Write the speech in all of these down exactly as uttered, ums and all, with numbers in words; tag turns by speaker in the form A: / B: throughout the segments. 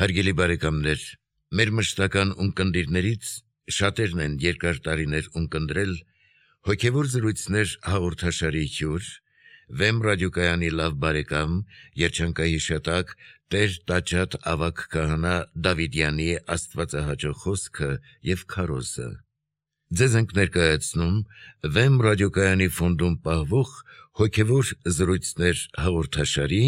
A: Հարգելի բարեկամներ, մեր մշտական ունկնդիրներից շատերն են երկար տարիներ ունկնդրել հոգևոր զրույցներ հաղորդաշարի հյուր, Վեմ ռադիոկայանի լավ բարեկամ, երջանկահիշատակ Տեր Տաճատ ավագ քահանա Դավիդյանի աստվածահաճո խոսքը և քարոզը։ Ձեզ ենք ներկայացնում Վեմ ռադիոկայանի ֆոնդում պահվող հոգևոր զրույցներ հաղորդաշարի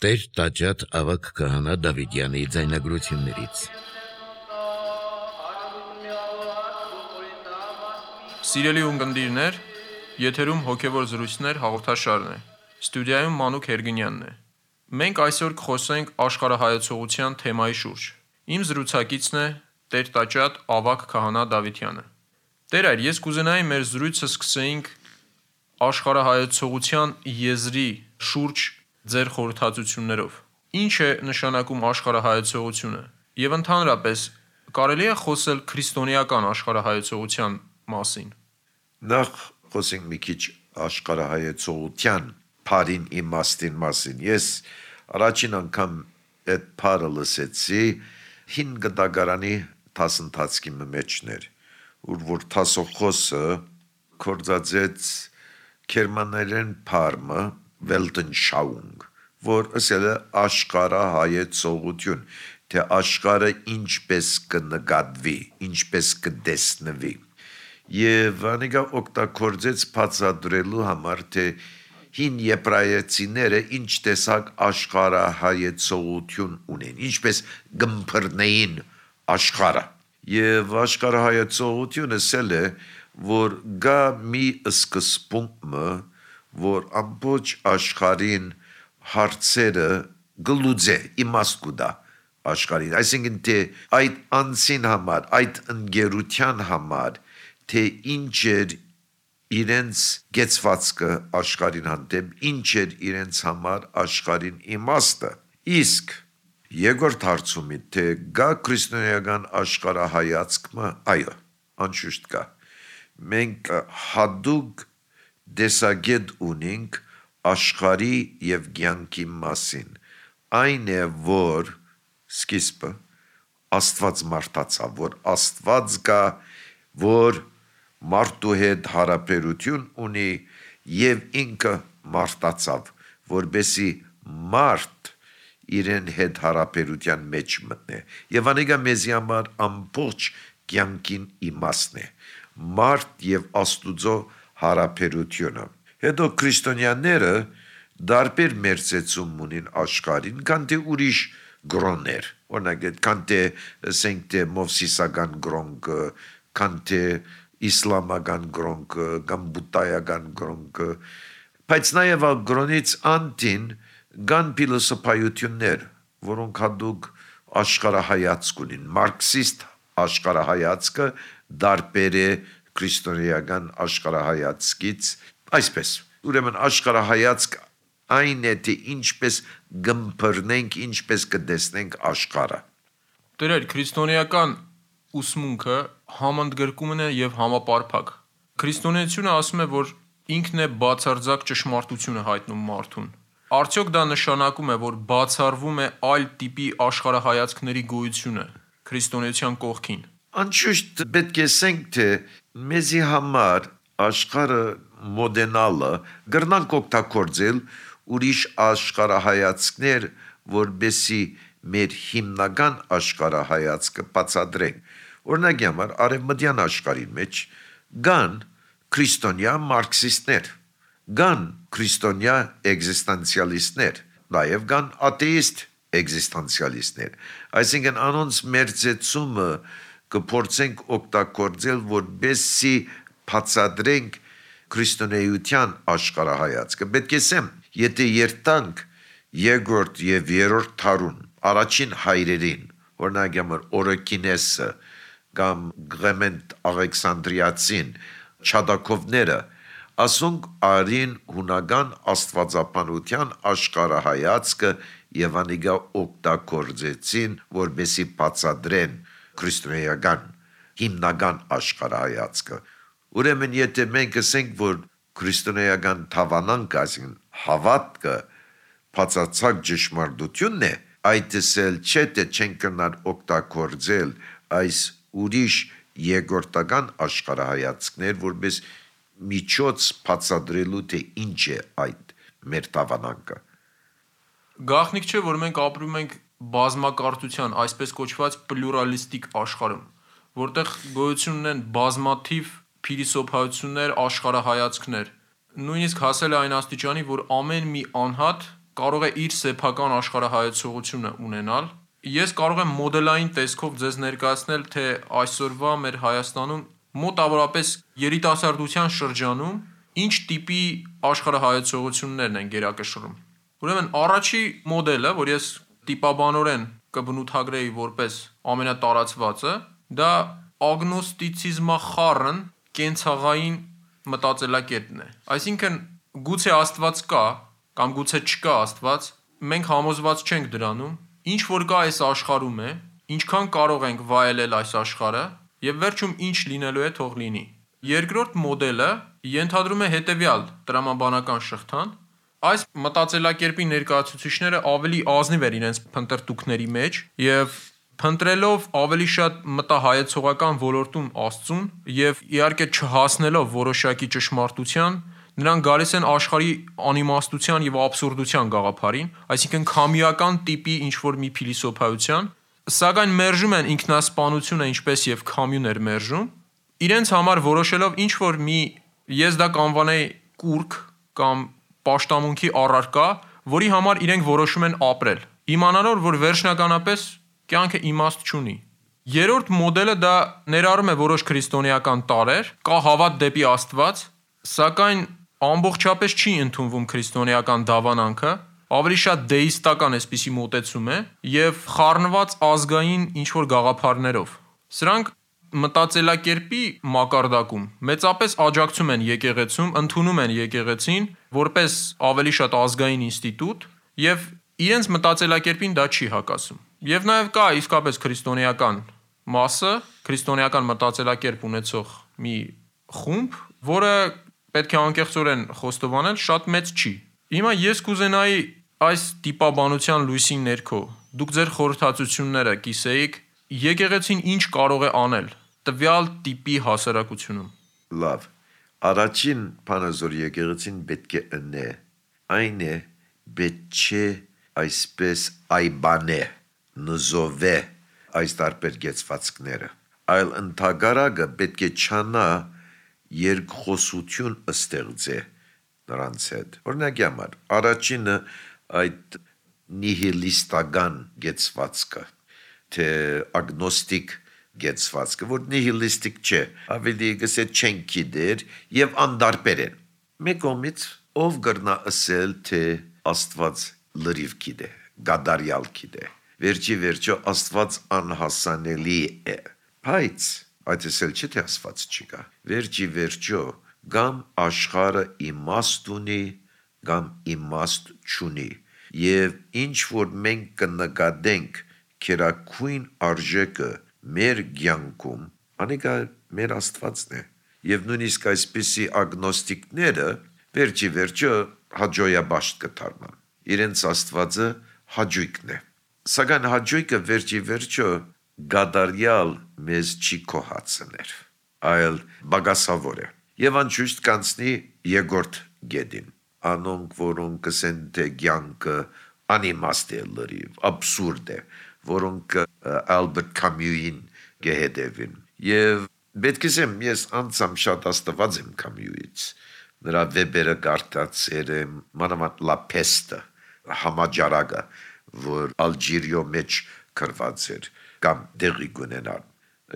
A: Տեր Տաճատ ավագ քահանա Դավիդյանի ձայնագրություններից։
B: Սիրելի ունկնդիրներ, եթերում հոգևոր զրույցներ հաղորդաշարն է։ Ստուդիայում Մանուկ Հերգինյանն է։ Մենք այսօր կխոսենք աշխարհայացողության թեմայի շուրջ։ Իմ զրուցակիցն է Տեր Տաճատ ավագ քահանա Դավիդյանը։ Տեր այր, ես կուզենայի մեր զրույցը սկսեինք աշխարհայացողության եզրի շուրջ ձեր խորհրդածություններով։ Ինչ է նշանակում աշխարհայացողությունը եւ ընդհանրապես կարելի է խոսել քրիստոնեական աշխարհայացողության մասին։
C: Նախ խոսենք մի քիչ աշխարհայացողության բարին իմաստին մասին։ Ես առաջին անգամ այդ բառը լսեցի հին գդագարանի դասընթացքի մեջներ, ուր որ դասոխոսը կորզածեց գերմաներեն բառը Weltanschauung, որ ասել է աշխարհայացողություն, թե աշխարհը ինչպես կնկատվի, ինչպես կտեսնվի։ Եվ անիկա օգտագործեց բացատրելու համար, թե հին եբրայեցիները ինչ տեսակ աշխարհայացողություն ունեն, ինչպես գմփռնեին աշխարհը։ Եվ աշխարհայացողությունը ասել է, որ գա մի սկզբունքը, որ ամբողջ աշխարհին հարցերը գլուծե, իմաստ կուտա աշխարհին, այսինքն թե այդ անձին համար, այդ ընկերության համար, թե ինչ էր իրենց գեցվածքը աշխարհին հանդեպ, ինչ էր իրենց համար աշխարհին իմաստը։ Իսկ երկրորդ հարցումի, թե գա քրիստոնեական աշխարհայացքը, այո, անշուշտ կա։ Մենք հատուկ դեսագետ ունենք աշխարհի եւ կյանքի մասին։ Այն է, որ սկիզբը Աստված մարդացավ, որ Աստված կա, որ մարդու հետ հարաբերություն ունի եւ ինքը մարդացավ, որբեսի մարդ իրեն հետ հարաբերության մեջ մտնե։ Եվ անիկա մեզի համար ամբողջ կյանքին իմաստն է։ Մարդ եւ Աստուծո հարաբերությունը։ Հետո քրիստոնյաները դարբեր մերձեցում ունին աշխարհին, քան թե ուրիշ գրոններ, օրինակ քան թե ասենք թե մովսիսական գրոնքը, քան թե իսլամական գրոնքը, կամ բուդդայական գրոնքը, բայց նաև ալ գրոնից անտին կան փիլիսոփայություններ, որոնք հատուկ աշխարհայացք ունին, մարքսիստ աշխարհայացքը դարբեր է քրիստոնեական աշխարհայացքից, այսպես, ուրեմն աշխարհայացք այն է, թե ինչպես գմփռնենք, ինչպես կտեսնենք աշխարհը։
B: Տերեր, քրիստոնեական ուսմունքը համընդգրկումն է եւ համապարփակ։ Քրիստոնեությունը ասում է, որ ինքն է բացարձակ ճշմարտությունը հայտնում մարդուն։ Արդյոք դա նշանակում է, որ բացառվում է այլ տիպի աշխարհայացքների գոյությունը քրիստոնեության կողքին։
C: Անշուշտ պետք է ասենք, թե մեզի համար աշխարհը մոդենալը գրնանք օգտագործել ուրիշ աշխարհայացքներ, որբեսի մեր հիմնական աշխարհայացքը բացատրենք։ Օրինակ համար արևմտյան աշխարհի մեջ կան քրիստոնյա մարքսիստներ, կան քրիստոնյա էգզիստենցիալիստներ, նաև կան աթեիստ էգզիստենցիալիստներ։ Այսինքն անոնց մերձեցումը կփորձենք օգտագործել, որբեսի բացատրենք քրիստոնեության աշխարհայացքը։ Պետք է ասեմ, եթե երթանք երկրորդ եւ երրորդ դարուն առաջին հայրերին, օրինակ համար Օրոքինեսը կամ Գլեմենտ Ալեքսանդրիացին, Չադակովները, ասոնք արին հունական աստվածաբանության աշխարհայացքը եւ անիգա օգտագործեցին, որբեսի բացատրեն քրիստոնեական հիմնական աշխարհայացքը։ Ուրեմն եթե մենք ասենք, որ քրիստոնեական թավանանք, այսինքն հավատքը բացարձակ ճշմարտությունն է, այդս էլ չէ թե չեն կնար օգտագործել այս ուրիշ երկրորդական աշխարհայացքներ, որպես միջոց բացատրելու թե ինչ է այդ մեր տավանանքը։
B: Գաղտնիք չէ, որ մենք ապրում ենք բազմակարծության, այսպես կոչված պլյուրալիստիկ աշխարհում, որտեղ գոյություն ունեն բազմաթիվ փիլիսոփայություններ, աշխարհայացքներ։ Նույնիսկ հասել է այն աստիճանի, որ ամեն մի անհատ կարող է իր սեփական աշխարհայացողությունը ունենալ։ Ես կարող եմ մոդելային տեսքով ձեզ ներկայացնել, թե այսօրվա մեր Հայաստանում մոտավորապես երիտասարդության շրջանում ինչ տիպի աշխարհայացողություններն են գերակշռում։ Ուրեմն առաջի մոդելը, որ ես տիպաբանորեն կբնութագրեի որպես ամենատարածվածը, դա ագնոստիցիզմախառն կենցաղային մտածելակերպն է։ Այսինքն գուցե Աստված կա կամ գուցե չկա Աստված, մենք համոզված չենք դրանում, ինչ որ կա այս աշխարհում է, ինչքան կարող ենք վայելել այս աշխարհը եւ վերջում ինչ լինելու է թող լինի։ Երկրորդ մոդելը ենթադրում է հետեւյալ տրամաբանական շղթան։ Այս մտածելակերպի ներկայացուցիչները ավելի ազնիվ են իրենց փնտրտուքների մեջ եւ փնտրելով ավելի շատ մտահայեցողական ոլորտում Աստծուն եւ իհարկե չհասնելով որոշակի ճշմարտության, նրանք գալիս են աշխարհի անիմաստության եւ աբսուրդության գաղափարին, այսինքն քամիական տիպի ինչ-որ մի փիլիսոփայության, սակայն մերժում են ինքնասպանությունը, ինչպես եւ քամյուն էր մերժում, իրենց համար որոշելով ինչ-որ մի, ես դա կանվանեի կուրք կամ պաշտամունքի առարկա, որի համար իրենք որոշում են ապրել, իմանալով, որ վերջնականապես կյանքը իմաստ չունի։ Երրորդ մոդելը դա ներառում է որոշ քրիստոնեական տարրեր, կա հավատ դեպի Աստված, սակայն ամբողջապես չի ընդունվում քրիստոնեական դավանանքը, ավելի շատ դեիստական այսպիսի մոտեցում է եւ խառնված ազգային ինչ-որ գաղափարներով։ Սրանք մտածելակերպի մակարդակում մեծապես աջակցում են եկեղեցում, ընդունում են եկեղեցին որպես ավելի շատ ազգային ինստիտուտ եւ իրենց մտածելակերպին դա չի հակասում։ Եվ նաեւ կա իսկապես քրիստոնեական մասը, քրիստոնեական մտածելակերպ ունեցող մի խումբ, որը պետք է անկեղծորեն խոստովանել, շատ մեծ չի։ Հիմա ես կուզենայի այս տիպաբանության լույսի ներքո դուք ձեր խորհրդածությունները կիսեիք, եկեղեցին ինչ կարող է անել տվյալ տիպի հասարակությունում։
C: Լավ, առաջին բանը, որ եկեղեցին պետք է ընե, այն է պետք չէ այսպես այբանե, նզովե այս տարբեր գեցվածքները, այլ ընդհակառակը պետք է չանա երկխոսություն ստեղծե նրանց հետ։ Օրինակի համար, առաջինը այդ նիհիլիստական գեցվածքը, թե ագնոստիկ գեցվածքը, որ նիհիլիստիկ չէ, ավելի գսե չեն գիտեր եւ անդարբեր են։ Մեկ կողմից ով կրնա ասել, թե Աստված լրիվ գիտե, գադարյալ գիտե, վերջի վերջո Աստված անհասանելի է, բայց այդ ասել չէ, թե Աստված չկա, վերջի վերջո գամ աշխարհը իմաստ ունի, գամ իմաստ չունի, եւ ինչ որ մենք կնկատենք քերակույն արժեքը մեր կյանքում, անիկա մեր Աստվածն է, եւ նույնիսկ այսպիսի ագնոստիկները վերջի վերջո հաջոյաբաշտ կդառնան, իրենց Աստվածը հաջույքն է, սակայն հաջույքը վերջի վերջո գադարյալ մեզ չի կոհացներ, այլ բագասավոր է, եւ անշուշտ կանցնի երկրորդ գեդին, անոնք որոնք կսեն թե կյանքը անիմաստ է լրիվ, աբսուրդ է, որոնք Ալբերտ Կամյուին կհետևին, եւ պետք է ասեմ, ես անձամ շատ աստված եմ Կամյուից, նրա վեբերը կարդացել եմ, մանավանդ La Peste, համաճարակը, որ Ալժիրիո մեջ գրված էր, կամ դեղի կունենար,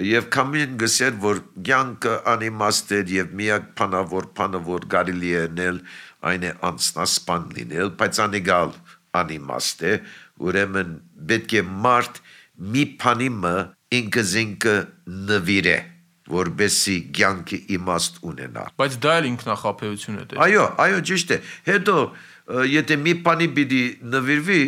C: եւ Կամյուին գսեր, որ կյանքը անիմաստ էր եւ միակ բանը, որ բանը, որ կարելի է անել, այն է անձնասպան լինել, բայց անեգալ անիմաստ է, ուրեմն պետք է մարդ մի բանի մը ինքզինքը նվիրե, որբեսի կյանքը իմաստ ունենա։
B: Բայց դա էլ ինքնախապեյություն է։
C: Այո, այո, ճիշտ է։ Հետո եթե մի բանի պիտի նվիրվի,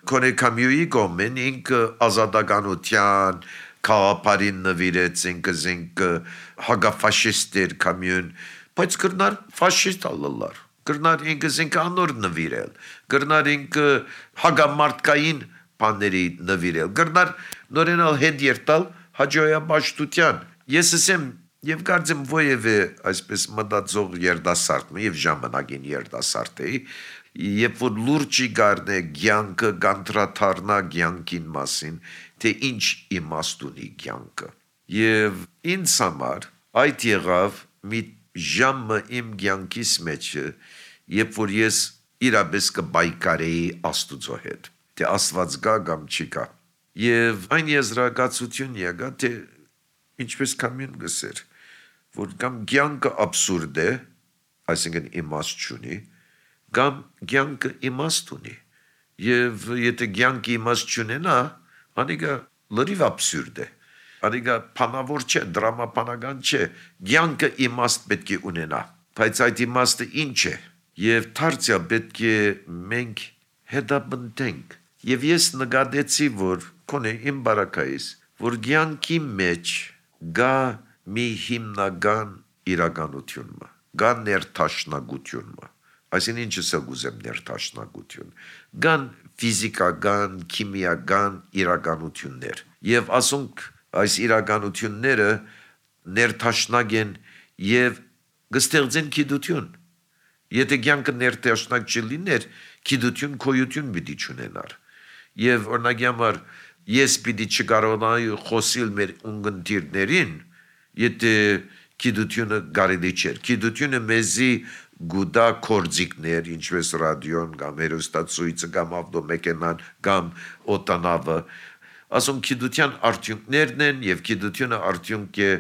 C: քոնե Կամյուի կողմեն ինքը ազատականության քաղաքարին նվիրեց, ինքզինքը հագաֆաշիստ էր Կամյուն, բայց կրնար ֆաշիստ ալլար։ Կրնար ինքս ինքը անոր նվիրել, կրնար ինքը հագամարտկային բաների նվիրել գրնար նորենալ հետ երտալ հաջողապաշտության ես ասեմ եւ կարծեմ ովևէ այսպես մտածող երդասարդ եւ ժամանակին երդասարդ էի երբ որ լուրջի գարնե ցանկը գանտրաթարնա ցանկին մասին թե ինչ իմաստ ունի ցանկը եւ ինձ համար այդ եղավ մի ժամը իմ ցանկիս մեջ երբ որ ես իրապես կբայկարեի Աստուծո հետ թե Աստված գա կամ չի գա եւ այն եզրակացություն եղա թե ինչպես կամին գսեր որ կամ ցանկը абսուրդ է այսինքն իմաստ չունի կամ ցանկը իմաստ ունի եւ եթե ցանկը իմաստ չունենա անիկա լրիվ абսուրդ է անիկա բանավոր չէ դրամապանական չէ ցանկը իմաստ պետք է ունենա բայց այդ իմաստը ինչ է եւ դարձյալ պետք է մենք հետապնդենք եւ ես նկատեցի որ կոնե իմ բարակայիս որ ցանկի մեջ գա մի հիմնական իրականություն գա ներթաշնագություն այսինքն ինչս է գուզեմ ներթաշնագություն գան ֆիզիկական քիմիական իրականություններ եւ ասոնք այս իրականությունները ներթաշնագ են եւ գստեղծեն գիտություն եթե ցանկը ներթաշնակ չլիներ գիտություն քոյություն պիտի չունենար եւ օրինակ համար ես պիտի չկարողանայի խոսել մեր ունգընտիրներին եթե գիտությունը կարելի չէր գիտությունը մեզի գուդա կորձիկներ ինչպես ռադիոն կամ հերոստացույցը կամ ավտոմեքենան կամ օտանավը ասում գիտության արդյունքներն են եւ գիտությունը արդյունք է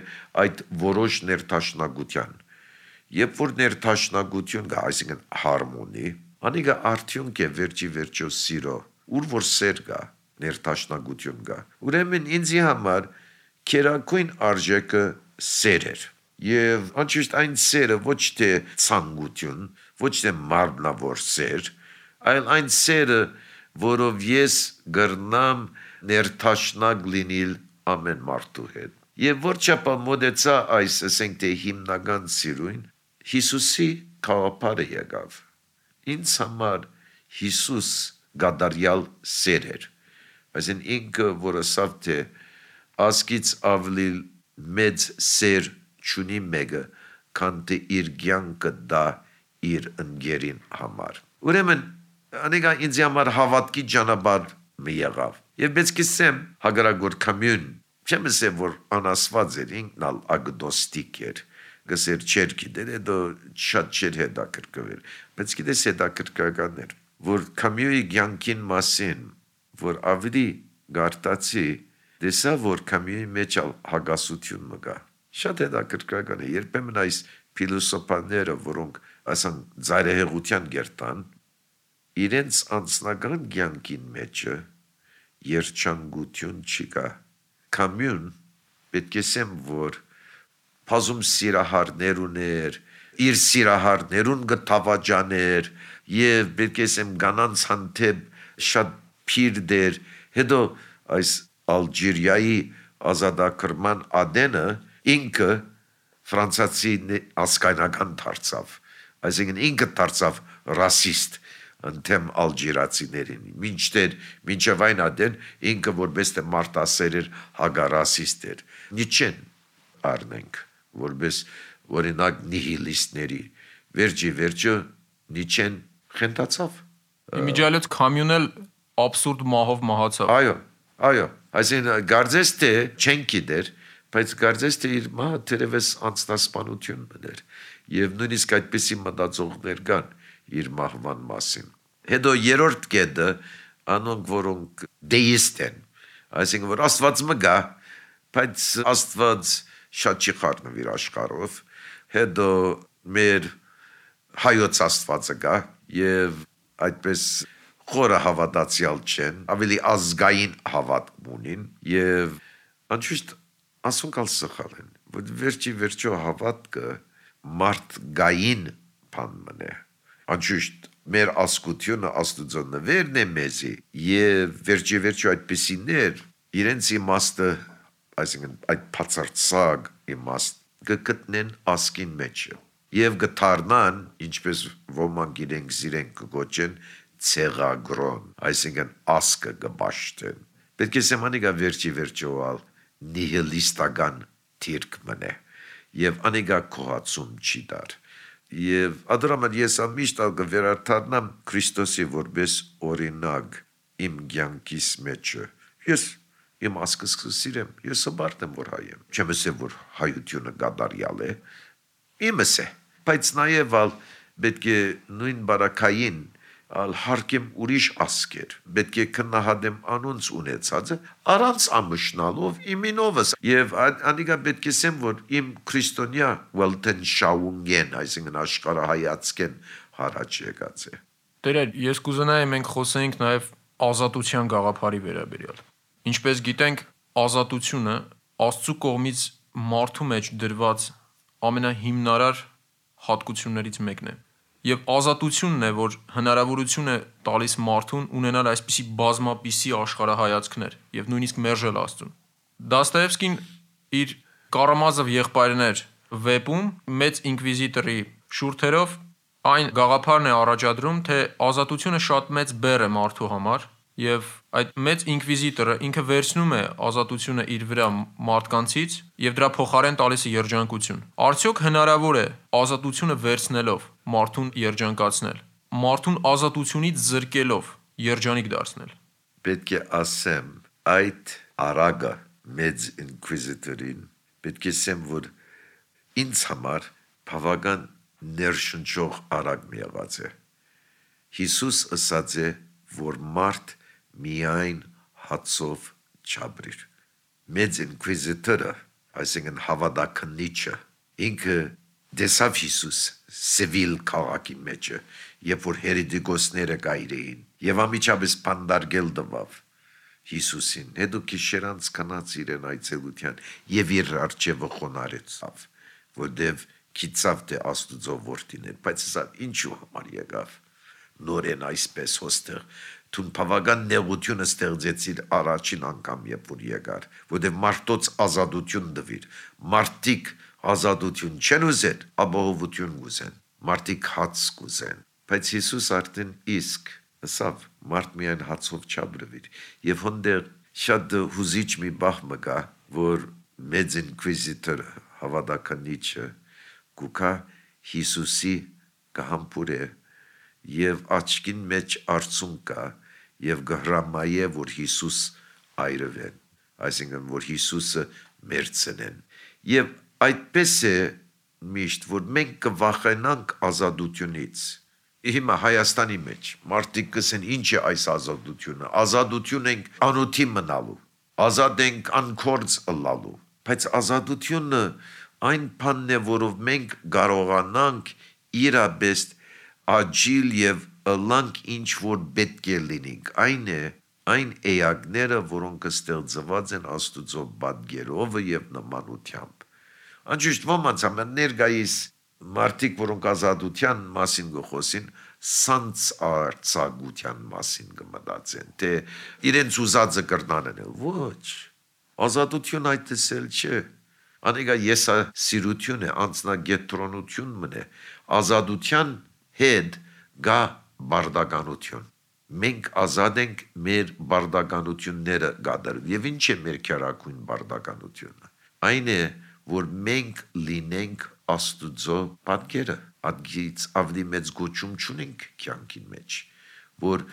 C: այդ որոշ ներթաշնագության երբ որ ներթաշնագություն կա այսինքն հարմոնի անիկա արդյունք է վերջի վերջո սիրո ուր որ սեր կա ներթաշնագություն կա ուրեմն ինձի համար քերակույն արժեքը սեր էր եւ անշուշտ այն սերը ոչ թե ցանկություն ոչ թե մարմնավոր սեր այլ այն սերը որով ես գրնամ ներթաշնակ լինել ամեն մարդու հետ եւ որչափ մոդեցա այս ասենք թե հիմնական սիրուն Հիսուսի քավապարը եկավ ինձ համար Հիսուս գադարյալ սեր էր այսին ինքը որ ասավ թե ասկից ավելի մեծ սեր չունի մեկը քան թե իր կյանքը դա իր ընկերին համար ուրեմն անիկա ինձ համար հավատքի ճանապարհ մի եղավ եւ պետք է ասեմ հագարագոր կամյուն չեմ ասեմ որ անասված էր ինքնալ ագնոստիկ էր գսեր չեր գիտեր դա շատ չեր հետաքրքրել բայց գիտես հետաքրքրական էր որ կամյույի կյանքին մասին որ ավելի գարտացի դեսա որ կամյույի մեջ հագասություն մգա շատ հետաքրքրական է երբեմն այս փիլիսոփաները որոնք ասան ծայրահեղության գերտան իրենց անձնական կյանքին մեջը երջանկություն չկա կամյուն պետք է ասեմ որ փազում սիրահարներ ուներ իր սիրահարներուն գտավաճաներ եւ պետք է ասեմ կանանց հանդեպ շատ փիր դեր հետո այս Ալժիրիայի ազատագրման ադենը ինքը ֆրանսիացի ասկայնական դարձավ այսինքն ինքը դարձավ ռասիստ ընդեմ ալժիրացիներին մինչդեռ մինչև այն ադեն ինքը որպես թե մարտասեր էր հագարասիստ էր նիչեն առնենք որպես օրինակ նիհիլիստների վերջի վերջը նիչեն խնդացավ
B: իմիջիալից կամյունել абսուրդ մահով մահացավ
C: այո այո այսինքն գարձես թե չեն գիտեր բայց գարձես թե իր մահը թերևս անձնասպանություն մներ եւ նույնիսկ այդպիսի մտածողներ կան իր մահվան մասին հետո երրորդ կետը անոնք որոնք դեիստ են այսինքն որ Աստված մգա բայց Աստված շատ չի խառնվիր աշխարհով հետո մեր հայոց Աստվածը կա եւ այդպես խորը հավատացյալ չեն ավելի ազգային հավատք ունին եւ անշուշտ ասոնքալ սխալ են որ վերջի վերջո հավատքը մարդգային բան մնե անշուշտ մեր ասկությունը Աստուծո նվերն է մեզի եւ վերջի վերջո այդպիսիներ իրենց իմաստը այսինքն այդ բացարձակ իմաստ գտնեն ասկին մեջ եւ գթարնան ինչպես ոմանք իրենք զիրենք գոչեն ցեղագրոն, այսինքն ասկը գբաշտեն։ Պետք է սեմանիկա վերջի վերջոալ նիհիլիստական թիրք մնե եւ անիկա կողացում չի դար։ Եվ ադրամը ես ամիշտ ալ կվերարտառնամ Քրիստոսի որպես օրինակ իմ կյանքիս մեջը։ Ես իմ ասկս սիրեմ, ես հբարտ եմ որ հայ եմ։ Չեմ ասեմ որ հայությունը գադարյալ է։ Իմս է, բայց նաեւ ալ պետք է նույն բարակային ալ հարկեմ ուրիշ ասկեր, պետք է քննահատեմ անոնց ունեցածը առանց ամշնալով իմինովս եւ անիկա պետք է ասեմ որ իմ քրիստոնյա welten շաունգեն, այսինքն աշխարհայացքեն հարաճ եկած է։
B: Տերեր, ես կուզենայի մենք խոսենք նաեւ ազատության գաղափարի վերաբերյալ։ Ինչպես գիտենք, ազատությունը Աստծո կողմից մարդու մեջ դրված ամենահիմնարար հատկություններից մեկն է։ Եվ ազատությունն է, որ հնարավորություն է տալիս մարդուն ունենալ այսպիսի բազմապիսի աշխարհայացքներ եւ նույնիսկ մերժել Աստծուն։ Դաստոևսկին իր Կարամազով եղբայրներ վեպում մեծ ինկվիզիտորի շուրթերով այն գաղափարն է առաջադրում, թե ազատությունը շատ մեծ բեռ է մարդու համար եւ այդ մեծ ինկվիզիտորը ինքը վերցնում է ազատությունը իր վրա մարդկանցից եւ դրա փոխարեն տալիս է երջանկություն։ Արդյոք հնարավոր է ազատությունը վերցնելով մարդուն երջանկացնել, մարդուն ազատությունից զրկելով երջանիկ դարձնել։
C: Պետք է ասեմ այդ արագը մեծ ինկվիզիտորին պետք է ասեմ որ ինձ համար բավական ներշնչող արագ մի եղած է։ Հիսուս ասաց է որ մարդ միայն հացով չաբրիր։ Մեծ ինկվիզիտորը, այսինքն հավատաքննիչը, ինքը դեսավ Հիսուս Սևիլ քաղաքի մեջը, երբ որ հերետիկոսները գայրեին, եւ ամիջապես պանդարգել տվավ Հիսուսին, հետո քիշերանց կանած իրեն այցելության եւ իր արջևը խոնարեցավ, որտեւ քիծավ թե Աստուծո որդին էր, բայց սա ինչու համար եկավ։ Նորեն այսպես հոստեղ Տուն բավական նեղությունը ստեղծեցիր առաջին անգամ երբ որ եկար, որտեղ մարդոց ազատություն դվիր, մարդիկ ազատություն չեն ուզեն, ապահովություն ուզեն, մարդիկ հաց կուզեն, բայց Հիսուս արդեն իսկ ասավ մարդ միայն հացով չաբրվիր, եւ հոնդեր շատ հուզիչ մի բախ մգա, որ մեծ ինկվիզիտորը հավատականիչը գուկա Հիսուսի կհամբուրե եւ աչքին մեջ արցուն կա եւ գհրամայե որ Հիսուս այրվեն, այսինքն որ Հիսուսը մերցնեն եւ այդպես է միշտ որ մենք կվախենանք ազատությունից։ Հիմա Հայաստանի մեջ մարդիկ կսեն ինչ է այս ազատությունը, ազատություն ենք անոթի մնալու, ազատ ենք անկորձ ըլլալու, բայց ազատությունը այն բանն է որով մենք կարողանանք իրապես աջիլ եւ ըլլանք ինչ որ պետք է լինենք, այն է այն էակները, որոնք ստեղծված են Աստուծո պատկերով եւ նմանությամբ։ Անշուշտ ոմանց համար ներկայիս մարդիկ, որոնք ազատության մասին գխոսին, սանց արցագության մասին կմտածեն, թե իրենց ուզածը կրնանեն, ոչ, ազատություն այդ տեսել չէ, անիկա եսասիրություն է, անձնագետրոնություն մնե, ազատության հետ գա բարդականություն։ Մենք ազատ ենք մեր բարդականությունները գադարել։ Եվ ինչ է մեր քերակույն բարդականությունը։ Այն է, որ մենք լինենք Աստուծո պատկերը, ադգից ավելի մեծ գոչում չունենք կյանքին մեջ, որ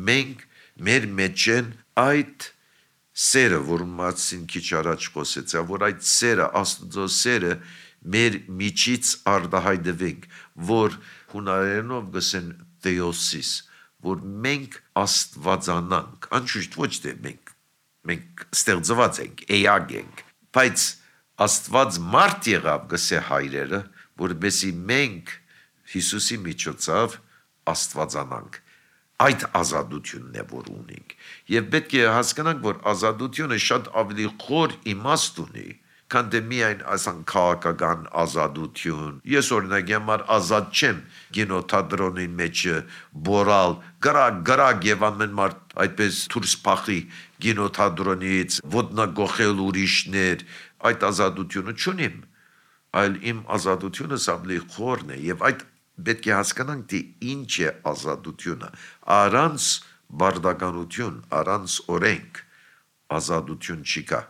C: մենք մեր մեջ են այդ սերը, որում մասին քիչ առաջ խոսեցա, որ այդ սերը, Աստուծո սերը մեր միջից արտահայտվենք, որ հունարենով գսեն theosis, որ մենք աստվածանանք, անշուշտ ոչ թե մենք, մենք ստեղծված ենք, էակ ենք, բայց Աստված մարդ եղավ գսե հայրերը, որպեսզի մենք Հիսուսի միջոցով աստվածանանք։ Այդ ազատությունն է որ ունենք։ Եվ պետք է հասկանանք, որ ազատությունը շատ ավելի խոր իմաստ ունի, քան թե միայն ասան քաղաքական ազատություն։ Ես օրինակ համար ազատ չեմ կինոթատրոնի մեջ բորալ, գրակ, գրակ եւ ամեն մարդ այդպես դուրս փախի կինոթատրոնից, ոտնագողել ուրիշներ, այդ ազատությունը չունիմ, այլ իմ ազատությունը ավելի խորն է եւ այդ պետք է հասկանանք, թե ինչ է ազատությունը։ Առանց բարդականություն, առանց օրենք ազատություն չի կա։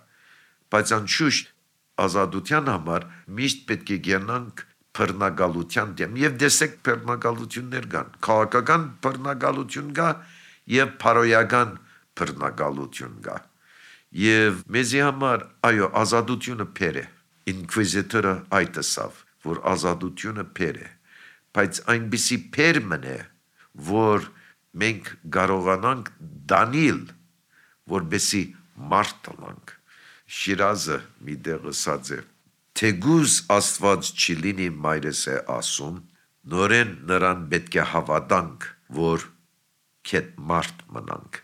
C: Բայց անշուշտ ազատության համար միշտ պետք է գնանք բռնագալության դեմ եւ դեսեք բռնագալություններ կան։ Քաղաքական բռնագալություն կա եւ փարոյական բռնագալություն կա։ Եվ մեզի համար այո ազատությունը փեր է։ Ինկվիզիտորը այդ ասավ, որ ազատությունը փեր է, բայց այնպիսի փեր մնե, որ մենք կարողանանք դանիլ, որբեսի մարդ լանք։ Շիրազը մի դեղ ասած է, թեգուզ Աստված չի լինի մայրս է ասում, նորեն նրան պետք է հավատանք, որ քետ մարդ մնանք։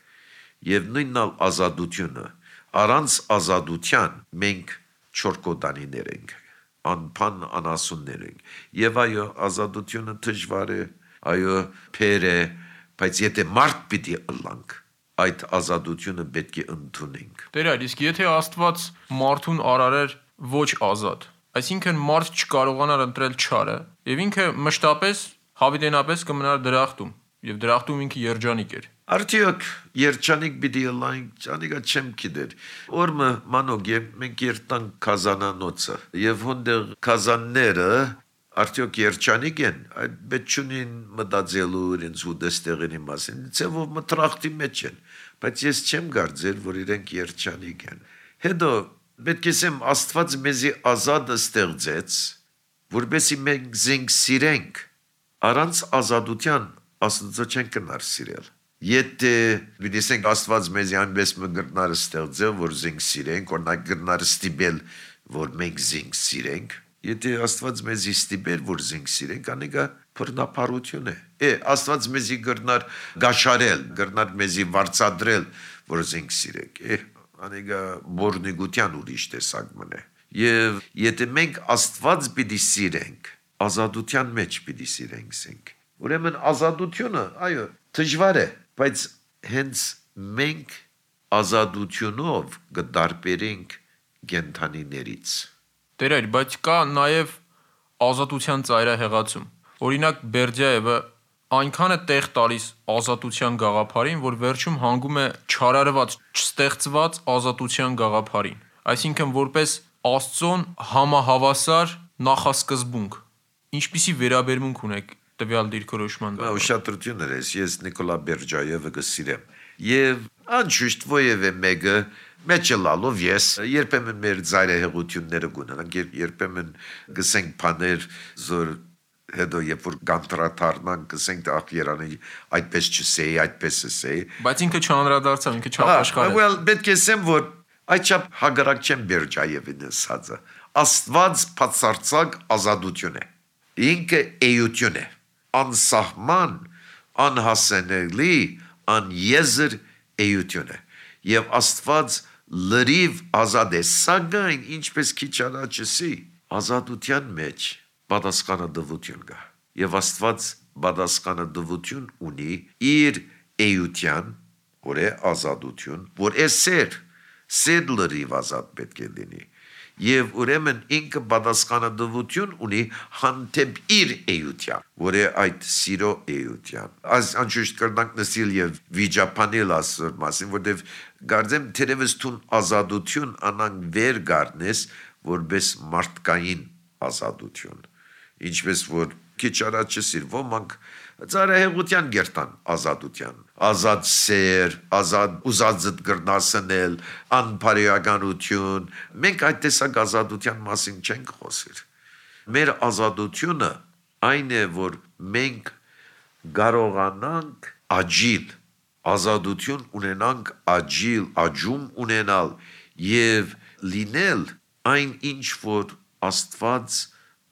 C: Եվ նույնն ազատությունը, առանց ազատության մենք չորկոտանիներ ենք, անփան անասուններ ենք։ Եվ այո, ազատությունը դժվար է, այո, փեր է, բայց եթե մարդ պիտի ըլլանք, այդ ազատությունը պետք է ընդունենք։
B: Տեր այլ, իսկ եթե Աստված մարդուն արարեր ոչ ազատ, այսինքն մարդ չկարողանար ընտրել չարը, եւ ինքը մշտապես հավիտենապես կմնար դրախտում, եւ դրախտում ինքը երջանիկ էր։
C: Արդյոք երջանիկ պիտի ըլլանք, ճանիկա չեմ գիտեր։ Օրը մանոկ մենք երտանք կազանանոցը, եւ հոնդեղ կազանները արդյոք երջանիկ են, այդ բեչունին մտածելու իրենց ուդեստեղերի մասին, ծևով մտրախտի մեջ են, բայց ես չեմ կարծել, որ իրենք երջանիկ են։ Հետո պետք է ասեմ Աստված մեզի ազատը ստեղծեց, որպեսզի մենք զենք սիրենք, առանց ազատության Աստծո չեն կնար սիրել։ Եթե դիսենք Աստված մեզի այնպես մգրտնար ստեղծել, որ զենք սիրենք, օրինակ գրնար ստիպել, որ մենք զենք սիրենք, եթե Աստված մեզի ստիպեր, որ զենք սիրենք, անիկա բռնապարություն է։ Է, Աստված մեզի գրնար գաշարել, գրնար մեզի վարձադրել, որ զենք սիրենք։ Է, անիկա բորնիգության ուրիշ տեսակ մնե։ Եվ եթե մենք Աստված պիտի սիրենք, ազատության մեջ պիտի սիրենք զենք։ Ուրեմն ազատությունը, այո, դժվար է, բայց հենց մենք ազատությունով կդարբերենք կենդանիներից։
B: Տեր այլ, բայց կա նաև ազատության ծայրահեղացում։ Օրինակ Բերդյայևը այնքան է տեղ տալիս ազատության գաղափարին, որ վերջում հանգում է չարարված, չստեղծված ազատության գաղափարին։ Այսինքն որպես Աստծոն համահավասար նախասկզբունք։ Ինչպիսի վերաբերմունք ունեք տվյալ դիրքորոշման։
C: Ուշադրություն ես, ես Նիկոլա Բերդյայևը կսիրեմ։ Եվ անշուշտ ովևէ մեկը մեջը լալով ես երբեմն մեր ծայրահեղությունները գունանանք, երբեմն գսենք բաներ, որ հետո երբ որ կանտրատարնանք, գսենք ախ Երանի այդպես չսեի, այդպես էսեի։
B: Բայց ինքը չանդրադարձավ, ինքը չապաշխարեց։
C: Well, պետք է ասեմ, որ այդչափ հագարակ չեմ Բերդյայևին ասածը։ Աստված բացարձակ ազատություն է։ Ինքը էություն է, անսահման, անհասանելի, անեզր էություն է։ Եվ Աստված լրիվ ազատ է, սակայն ինչպես քիչ առաջի ազատության մեջ պատասխանատվություն կա։ Եվ Աստված պատասխանատվություն ունի իր էության, որ է ազատություն, որ է սեր, սեր լրիվ ազատ պետք է լինի։ Եվ ուրեմն ինքը պատասխանատվություն ունի հանդեպ իր էության, որ է այդ սիրո էության։ Այս անշուշտ կրնանք նսիլ եւ վիճապանել ասոր մասին, որտեվ գարձեմ թերևս տուն ազատություն անանք վեր գարնես, որպես մարդկային ազատություն։ Ինչպես որ քիչ առաջ սիր ոմանք ծարահեղության գերտան ազատության, ազատ սեր, ազատ ուզածդ գրնասնել, անփարիականություն, մենք այդ տեսակ ազատության մասին չենք խոսիր։ Մեր ազատությունը այն է, որ մենք կարողանանք աջիլ, ազատություն ունենանք աջիլ, աջում ունենալ և լինել այն ինչ, որ Աստված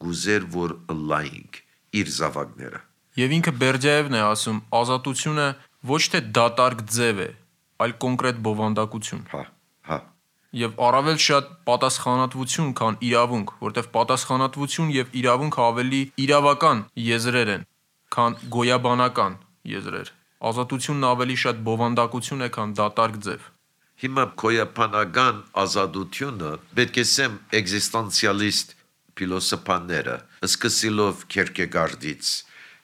C: գուզեր, որ ըլլայինք իր զավակները։
B: Եվ ինքը Բերդյայևն է ասում, ազատությունը ոչ թե դատարկ ձև է, այլ կոնկրետ բովանդակություն։
C: Հա, հա։
B: Եվ առավել շատ պատասխանատվություն, քան իրավունք, որտեղ պատասխանատվություն եւ իրավունք ավելի իրավական եզրեր են, քան գոյաբանական եզրեր։ Ազատությունն ավելի շատ բովանդակություն է, քան դատարկ ձև։
C: Հիմա գոյաբանական ազատությունը պետք է ասեմ էգզիստենցիալիստ փիլոսոփաները, սկսելով Քերկեգարդից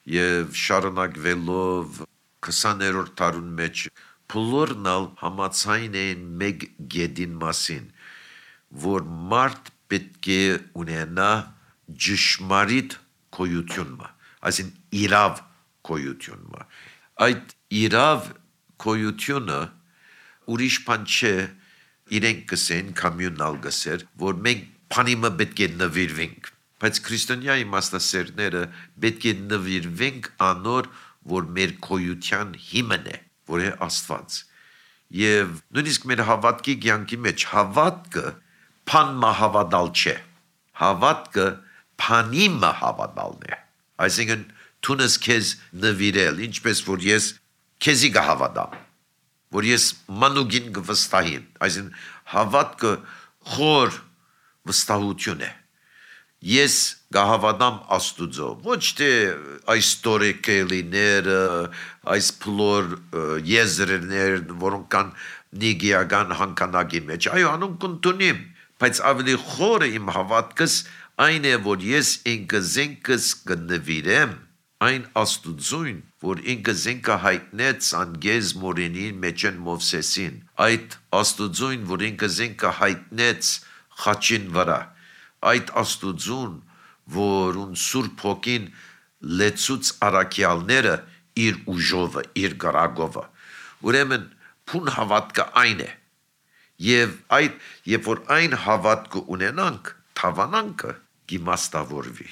C: եւ շարունակվելով քսաներորդ դարուն մեջ բոլորնալ համացայն են մեկ գեդին մասին, որ մարդ պետք է ունենա ճշմարիտ գոյությունը, այսինքն իրավ գոյությունը։ Այդ իրավ գոյությունը ուրիշ բան չէ, իրենք կսեն կոմյունալ գսեր, որ մենք բանիմը պետք է նվիրվենք, բայց քրիստոնյա իմաստասերները պետք է նվիրվենք անոր, որ մեր գոյության հիմն է, որ է Աստված։ Եվ նույնիսկ մեր հավատքի կյանքի մեջ հավատքը բանմա հավատալ չէ, հավատքը բանիմը հավատալն է, այսինքն թունս քեզ նվիրել, ինչպես որ ես քեզի կհավատամ, որ ես մանուկին կվստահեմ, այսինքն հավատքը խոր վստահություն է, ես կհավատամ Աստուծո, ոչ թե այս ստորեկելիները, այս փլոր եզրեր, որոնք կան նիգիական հանքանակի մեջ, այո, անոնք կընդունիմ, բայց ավելի խորը իմ հավատքս այն է, որ ես ինքը զենքս կնվիրեմ այն Աստուծուն, որ ինքը զենքը հայտնեց անգեզ մորենին մեջեն Մովսեսին, այդ Աստուծուն, որ ինքը զենքը հայտնեց խաչին վրա, այդ Աստուծուն, որ ուն Սուրբ Հոգին լեցուց առաքյալները իր ուժովը, իր գրագովը, ուրեմն փուն հավատքը այն է, եւ այդ, երբ որ այն հավատքը ունենանք, թավանանքը գիմաստավորվի,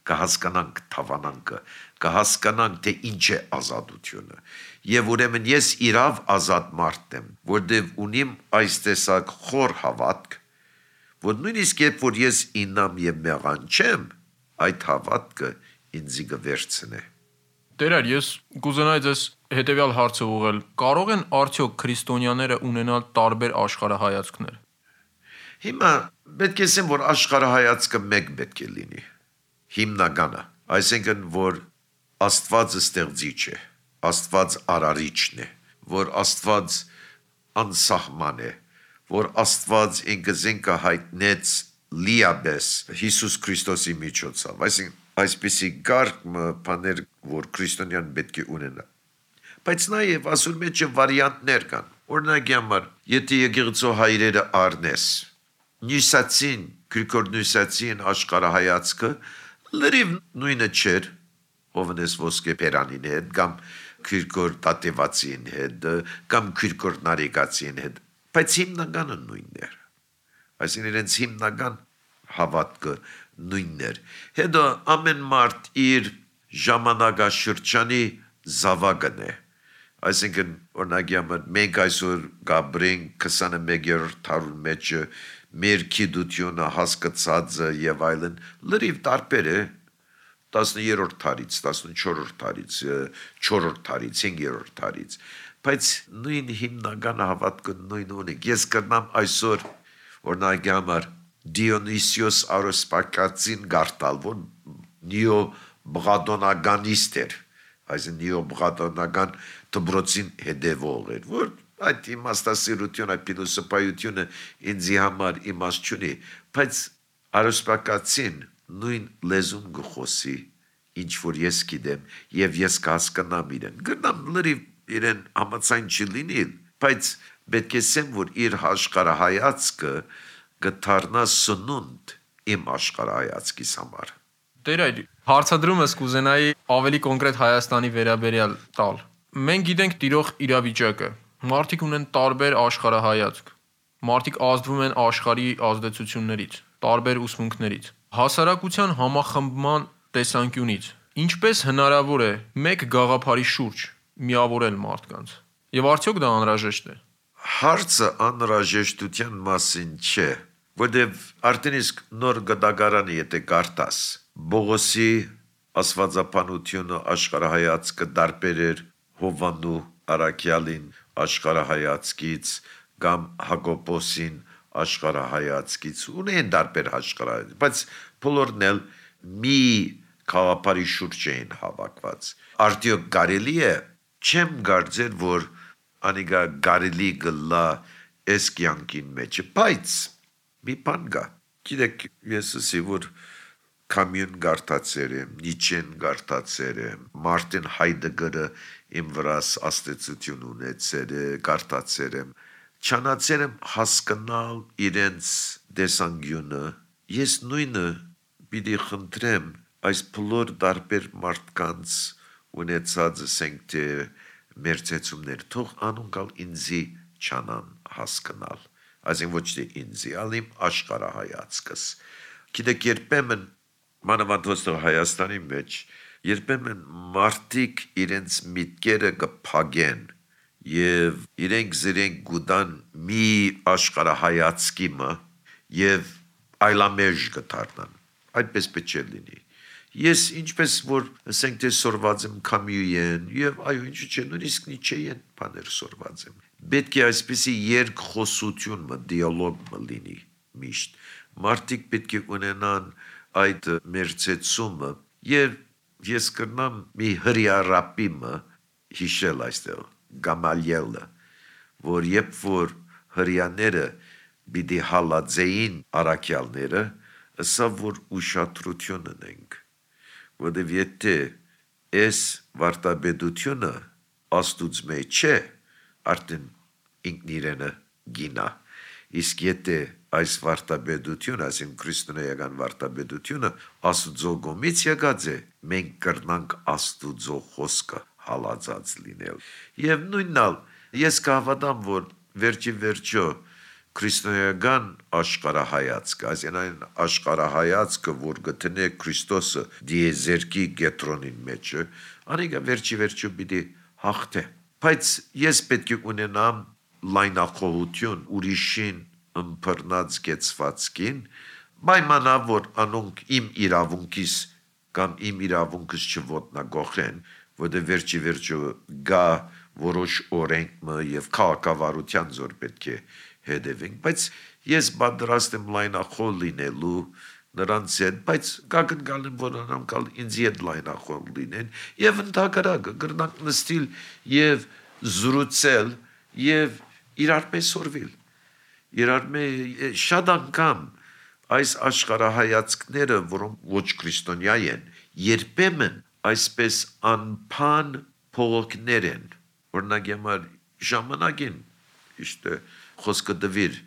C: կհասկանանք թավանանքը, կհասկանանք, թե ինչ է ազատությունը, եւ ուրեմն ես իրավ ազատ մարդ եմ, որտեւ ունիմ այս տեսակ խոր հավատք, որ նույնիսկ երբ որ ես ինամ եւ մեղանչեմ, այդ հավատքը ինձի կվերցնե։
B: Տերեր, ես կուզենայի ձեզ հետեւյալ հարցը ուղղել. կարող են արդյոք քրիստոնյաները ունենալ տարբեր աշխարհայացքներ։
C: Հիմա պետք է ասեմ, որ աշխարհայացքը մեկ պետք է լինի։ Հիմնականը, այսինքն որ Աստվածը ստեղծիչ է, Աստված արարիչն է, որ Աստված անսահման է, որ Աստված ինքը զենքը հայտնեց լիաբես Հիսուս Քրիստոսի միջոցով, այսինքն այսպիսի գարկ բաներ, որ քրիստոնյան պետք է ունենա։ Բայց նաև ասում մեջ վարիանտներ կան։ Օրինակ համար, եթե եկեղեցու հայրերը առնես, նյուսացին, Գրիգոր Նյուսացին աշխարհայացքը լրիվ նույնը չէր, Հովնես Ոսկեփերանին հետ, կամ Գրիգոր Տատևացին հետ, կամ Գրիգոր Նարեկացին հետ, բայց հիմնականը նույնն էր։ Այսինքն իրենց հիմնական հավատքը նույնն էր։ Հետո ամեն մարդ իր ժամանակաշրջանի զավակն է։ Այսինքն օրինակ համար մենք այսօր գաբրենք քսաներորդ դարուն մեջ մեր գիտությունը հասկացածը եւ այլն լրիվ տարբեր է տասներորդ դարից, տասնչորսերորդ դարից, չորրորդ դարից, հինգերորդ դարից, բայց նույն հիմնական հավատքը նույնն ունի։ Ես կրնամ այսօր օրինակ համար Դիոնիսիոս Արոսպակացին գարտալ, որ նեոբղադոնականիստ էր, այսինքն նեոբղադոնական դպրոցին հետևող էր, որ այդ իմաստասիրությունը, փիլիսոփայությունը ինձի համար իմաստ չունի, բայց Արոսպակացին նույն լեզուն գխոսի, ինչ որ ես գիտեմ, եւ ես կհասկանամ իրեն։ Գտնամ լրիվ իրեն համաձայն չլինի, բայց պետք է ասեմ, որ իր աշխարհայացքը գտարնա սնունդ իմ աշխարհայացքիս համար։
B: Տեր, հարցադրումս կուզենայի ավելի կոնկրետ Հայաստանի վերաբերյալ տալ։ Մենք գիտենք տիրող իրավիճակը։ Մարդիկ ունեն տարբեր աշխարհայացք։ Մարդիկ ազդվում են աշխարհի ազդեցություններից, տարբեր ուսմունքներից, հասարակության համախմբման տեսանկյունից։ Ինչպես հնարավոր է մեկ գաղափարի շուրջ միավորել մարդկանց։ Եվ արդյոք դա անհրաժեշտ է։
C: Հարցը անհրաժեշտության մասին չէ, որտեվ արդեն իսկ նոր գդագարանը եթե կարդաս, Բողոսի աստվածապանությունը աշխարհայացքը տարբեր էր Հովանու առաքյալին աշխարհայացքից կամ Հակոբոսին աշխարհայացքից, ունեն տարբեր աշխարհայացք, բայց բոլորն էլ մի գաղափարի շուրջ էին հավաքված։ Արդյոք կարելի է, չեմ կարծեր, որ անիգա կարելի գլա այս կյանքին մեջ, բայց մի բան կա։ Գիտեք, ես ասի, որ Կամյուն գարտացեր եմ, Նիչեն գարտացեր եմ, Մարտին Հայդեգերը իմ վրաս աստեցություն ունեցեր է, գարտացեր եմ, չանացեր եմ հասկանալ իրենց դեսանգյունը, ես նույնը պիտի խնդրեմ այս բոլոր դարբեր մարդկանց ունեցած ասենք թե մեր ծեցումներ, թող անունկալ ինձի չանան հասկանալ, այսին ոչ թե ինձի, ալ իմ աշխարհայացքս, գիտեք երբեմն մանավանդ Հայաստանի մեջ, երբեմն մարդիկ իրենց միտքերը կփագեն եւ իրենք զրենք գուտան մի աշխարհայացքի մը եւ այլամեջ կդառնան, այդպես պետք է լինի։ Ես ինչպես որ ասենք թե սորված եմ Կամյուեն եւ այո ինչու՞ չէ նույնիսկ Նիչեեն բաներ սորված եմ։ Պետք է այսպեսի երկխոսություն մը դիալոգ մը լինի միշտ։ Մարդիկ պետք է ունենան այդ մերցեցումը եւ ես կրնամ մի հրիարապի մը հիշել այստեղ Գամալիելը, որ երբ որ հրյաները պիտի հալածեին առաքյալները, ասա որ ուշադրություն ունենք, որտեւ եթե այս վարտաբեդությունը աստուծո մեջ չէ, արդեն ինքն իրենը գինա, իսկ եթե այս վարտաբեդությունը, այսին քրիստոնեական վարտաբեդությունը աստուծո գոմից եկած է, մենք կրնանք աստուծո խոսքը հալածած լինել։ Եվ նույննալ, ես կհավատամ, որ վերջի վերջո քրիստոնեական աշխարհայացքը, այսին այն աշխարհայացքը, որ գտնե Քրիստոսը դիեզերքի գետրոնին մեջը, անիկա վերջի վերջո պիտի հաղթե։ Բայց ես պետք է ունենամ լայնախոհություն ուրիշին ըմբռնած կեցվածքին, պայմանավ որ անոնք իմ իրավունքիս կամ իմ իրավունքս չոտնագողեն, որտեղ վերջի վերջո գա որոշ օրենք եւ քաղաքավարության զոր պետք է հետևենք, բայց ես պատրաստ եմ լայնախոհ լինելու նրանց հետ, բայց կակնկալ եմ, որ նրանք ինձ հետ լայնախոհ լինեն եւ ընդհակառակը կրնանք նստիլ եւ զրուցել եւ իրար պես սորվել։ Իրար մեջ շատ անգամ այս աշխարհայացքները, որոնք ոչ քրիստոնյա են, երբեմն այսպես անփան փողոքներ են, օրինակ համար ժամանակին իշտե խոսքը դվիր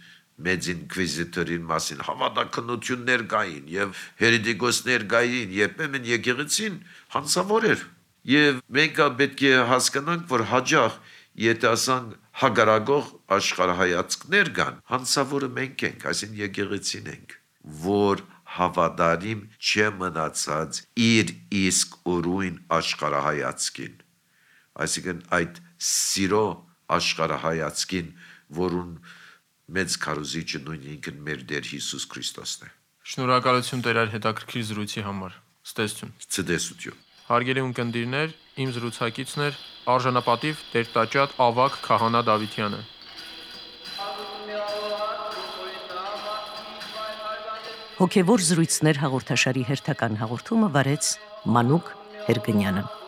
C: մեծ ինկվիզիտորին մասին հավատականություններ կային եւ հերետիկոսներ կային, երբեմն եկեղեցին հանցավոր էր եւ մենք պետք է հասկանանք, որ հաջող եթե ասանք հագարագող աշխարհայացքներ կան, հանցավորը մենք ենք, այսին եկեղեցին ենք, որ հավատարիմ չէ մնացած իր իսկ օրույն աշխարհայացքին, այսինքն այդ սիրո աշխարհայացքին, որուն մեծ քարոզիչը նույն ինքն մեր Տեր Հիսուս Քրիստոսն է։
B: Շնորհակալություն Տեր այդ հետաքրքիր զրույցի համար։ Ցտեսություն։
C: Ցտեսություն։
B: Հարգելի ունկնդիրներ, իմ զրուցակիցն էր արժանապատիվ Տեր-տաճատ Ավագ Քահանա Դավթյանը։
D: Հոգևոր զրույցներ հաղորդաշարի հերթական հաղորդումը վարեց Մանուկ Հերգնյանը։